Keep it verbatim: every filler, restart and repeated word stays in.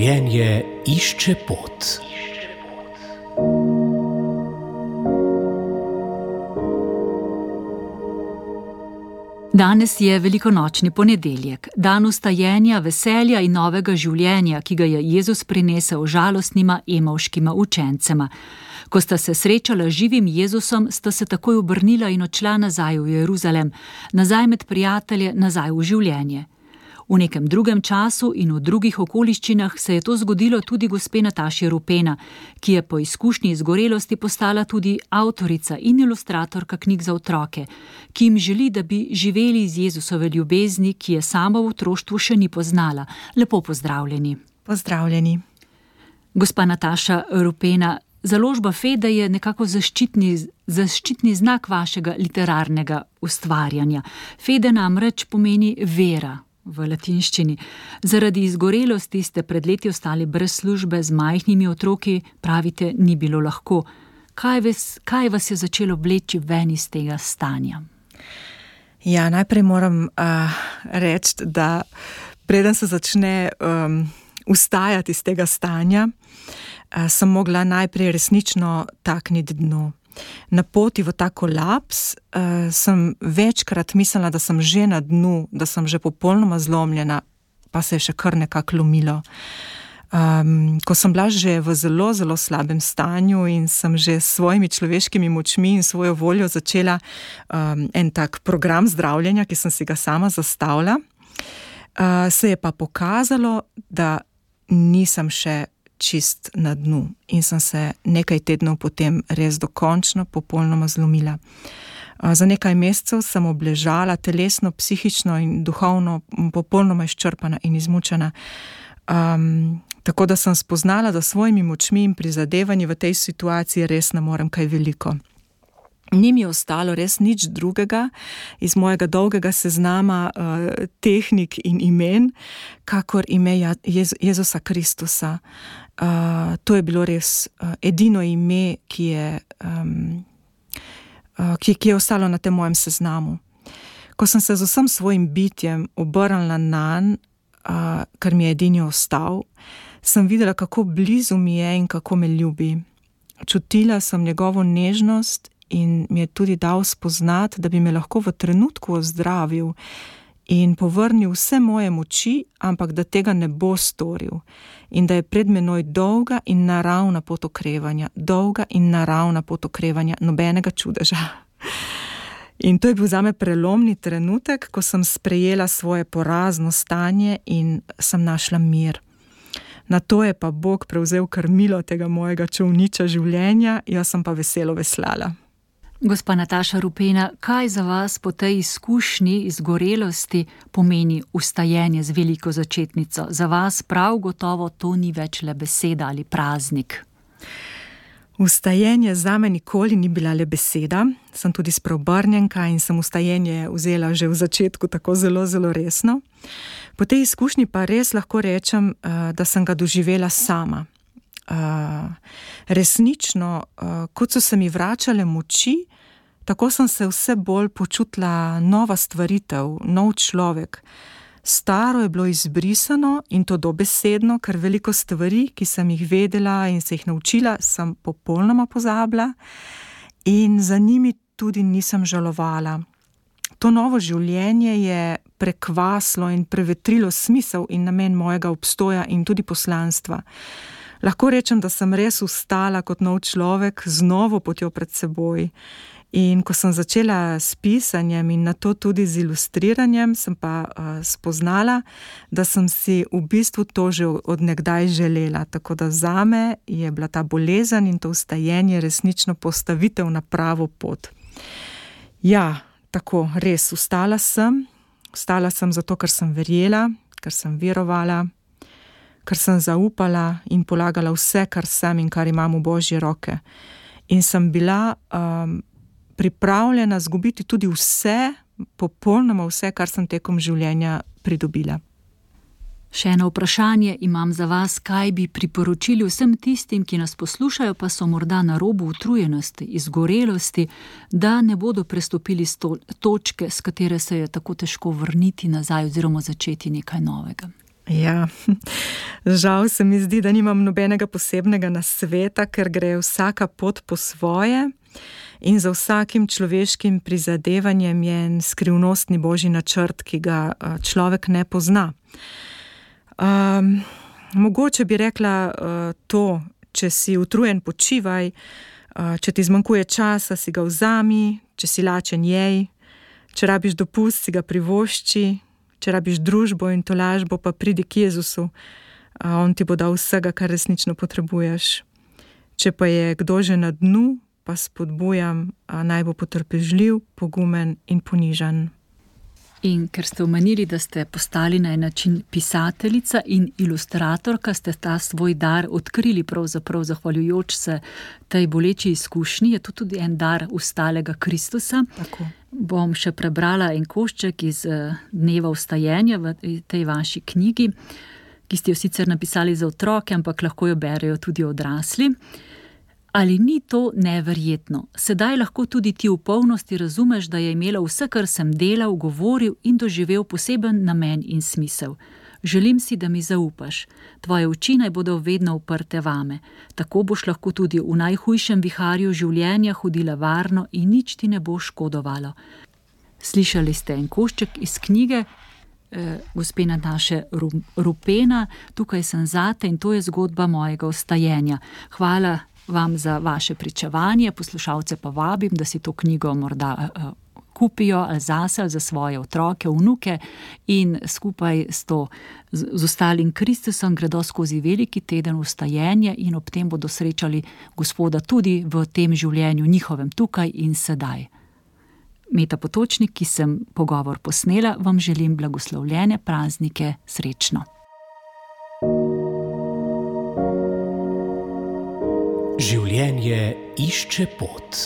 Življenje išče pot. Danes je velikonočni ponedeljek, dan vstajenja, veselja in novega življenja, ki ga je Jezus prinesel žalostnima emavškima učencema. Ko sta se srečala z živim Jezusom, sta se takoj obrnila in odšla nazaj v Jeruzalem, nazaj med prijatelje, nazaj v življenje. V nekem drugem času in v drugih okoliščinah se je to zgodilo tudi gospe Nataši Rupena, ki je po izkušnji izgorelosti postala tudi avtorica in ilustratorka knjig za otroke, ki jim želi, da bi živeli iz Jezusove ljubezni, ki je sama v otroštvu še ni poznala. Lepo pozdravljeni. Pozdravljeni. Gospa Nataša Rupena, založba Fede je nekako zaščitni, zaščitni znak vašega literarnega ustvarjanja. Fede namreč pomeni vera v latinščini. Zaradi izgorelosti ste pred leti ostali brez službe, z majhnimi otroki, pravite, ni bilo lahko. Kaj vas, kaj vas je začelo vleči ven iz tega stanja? Ja, najprej moram uh, reči, da preden se začne um, vstajati iz tega stanja, uh, sem mogla najprej resnično takniti dno. Na poti v ta kolaps uh, sem večkrat mislila, da sem že na dnu, da sem že popolnoma zlomljena, pa se je še kar nekako lomilo. Um, ko sem bila že v zelo, zelo slabem stanju in sem že s svojimi človeškimi močmi in svojo voljo začela um, en tak program zdravljenja, ki sem si ga sama zastavila, uh, se je pa pokazalo, da nisem še čist na dnu in sem se nekaj tednov potem res dokončno popolnoma zlomila. Za nekaj mesecev sem obležala telesno, psihično in duhovno popolnoma izčrpana in izmučena. Um, tako da sem spoznala, da svojimi močmi in prizadevanji v tej situaciji res ne morem kaj veliko. Ni mi ostalo res nič drugega iz mojega dolgega seznama uh, tehnik in imen, kakor ime Jez- Jezusa Kristusa. Uh, to je bilo res uh, edino ime, ki je, um, uh, ki, ki je ostalo na tem mojem seznamu. Ko sem se z vsem svojim bitjem obrnila nanj, uh, kar mi je edini ostal, sem videla, kako blizu mi je in kako me ljubi. Čutila sem njegovo nežnost in mi je tudi dal spoznati, da bi me lahko v trenutku ozdravil in povrnil vse moje moči, ampak da tega ne bo storil. In da je pred menoj dolga in naravna pot okrevanja, dolga in naravna pot okrevanja, nobenega čudeža. In to je bil zame prelomni trenutek, ko sem sprejela svoje porazno stanje in sem našla mir. Na to je pa Bog prevzel krmilo tega mojega čolniča življenja, jaz sem pa veselo veslala. Gospa Nataša Rupena, kaj za vas po tej izkušnji izgorelosti pomeni vstajenje z veliko začetnico? Za vas prav gotovo to ni več le beseda ali praznik. Vstajenje zame nikoli ni bila le beseda, sem tudi spreobrnjenka in sem vstajenje vzela že v začetku tako zelo, zelo resno. Po tej izkušnji pa res lahko rečem, da sem ga doživela sama. Uh, resnično, uh, kot so se mi vračale moči, tako sem se vse bolj počutila nova stvaritev, nov človek. Staro je bilo izbrisano in to dobesedno, ker veliko stvari, ki sem jih vedela in se jih naučila, sem popolnoma pozabila in za njimi tudi nisem žalovala. To novo življenje je prekvaslo in prevetrilo smisel in namen mojega obstoja in tudi poslanstva. Lahko rečem, da sem res vstala kot nov človek z novo potjo pred seboj. In ko sem začela s pisanjem in nato tudi z ilustriranjem, sem pa uh, spoznala, da sem si v bistvu to že od nekdaj želela. Tako da zame je bila ta bolezen in to vstajenje resnično postavitev na pravo pot. Ja, tako, res, vstala sem. Vstala sem zato, ker sem verjela, ker sem verovala, ker sem zaupala in polagala vse, kar sem in kar imam v Božje roke. In sem bila um, pripravljena zgubiti tudi vse, popolnoma vse, kar sem tekom življenja pridobila. Še eno vprašanje imam za vas, kaj bi priporočili vsem tistim, ki nas poslušajo, pa so morda na robu utrujenosti, izgorelosti, da ne bodo prestopili sto- točke, s katere se je tako težko vrniti nazaj oziroma začeti nekaj novega. Ja, žal se mi zdi, da nimam nobenega posebnega nasveta, ker gre vsaka pot po svoje in za vsakim človeškim prizadevanjem je en skrivnostni božji načrt, ki ga človek ne pozna. Um, mogoče bi rekla uh, to, če si utrujen, počivaj, uh, če ti zmanjkuje časa, si ga vzami, če si lačen, jej, če rabiš dopust, si ga privošči, če rabiš družbo in tolažbo, pa pridi k Jezusu, uh, on ti bo dal vsega, kar resnično potrebuješ. Če pa je kdo že na dnu, pa spodbujam, uh, naj bo potrpežljiv, pogumen in ponižan. In ker ste omenili, da ste postali na en način pisateljica in ilustratorka, ste ta svoj dar odkrili pravzaprav zahvaljujoč se tej boleči izkušnji, je to tudi en dar vstalega Kristusa. Tako. Bom še prebrala en košček iz Dneva vstajenja v tej vaši knjigi, ki ste jo sicer napisali za otroke, ampak lahko jo berejo tudi odrasli. Ali ni to neverjetno? Sedaj lahko tudi ti v polnosti razumeš, da je imela vse, kar sem delal, govoril in doživel poseben namen in smisel. Želim si, da mi zaupaš. Tvoje oči naj bodo vedno uprte vame. Tako boš lahko tudi v najhujšem viharju življenja hodila varno in nič ti ne bo škodovalo. Slišali ste en košček iz knjige eh, gospe Nataše Rupena, Tukaj sem zate, in to je zgodba mojega vstajenja. Hvala vam za vaše pričevanje, poslušalce pa vabim, da si to knjigo morda uh, kupijo ali zase, ali za svoje otroke, vnuke in skupaj s, to, z, z ostalim Kristusom gredo skozi veliki teden vstajenja in ob tem bodo srečali Gospoda tudi v tem življenju njihovem tukaj in sedaj. Meta Potočnik, ki sem pogovor posnela, vam želim blagoslovljene praznike, srečno. Življenje išče pot.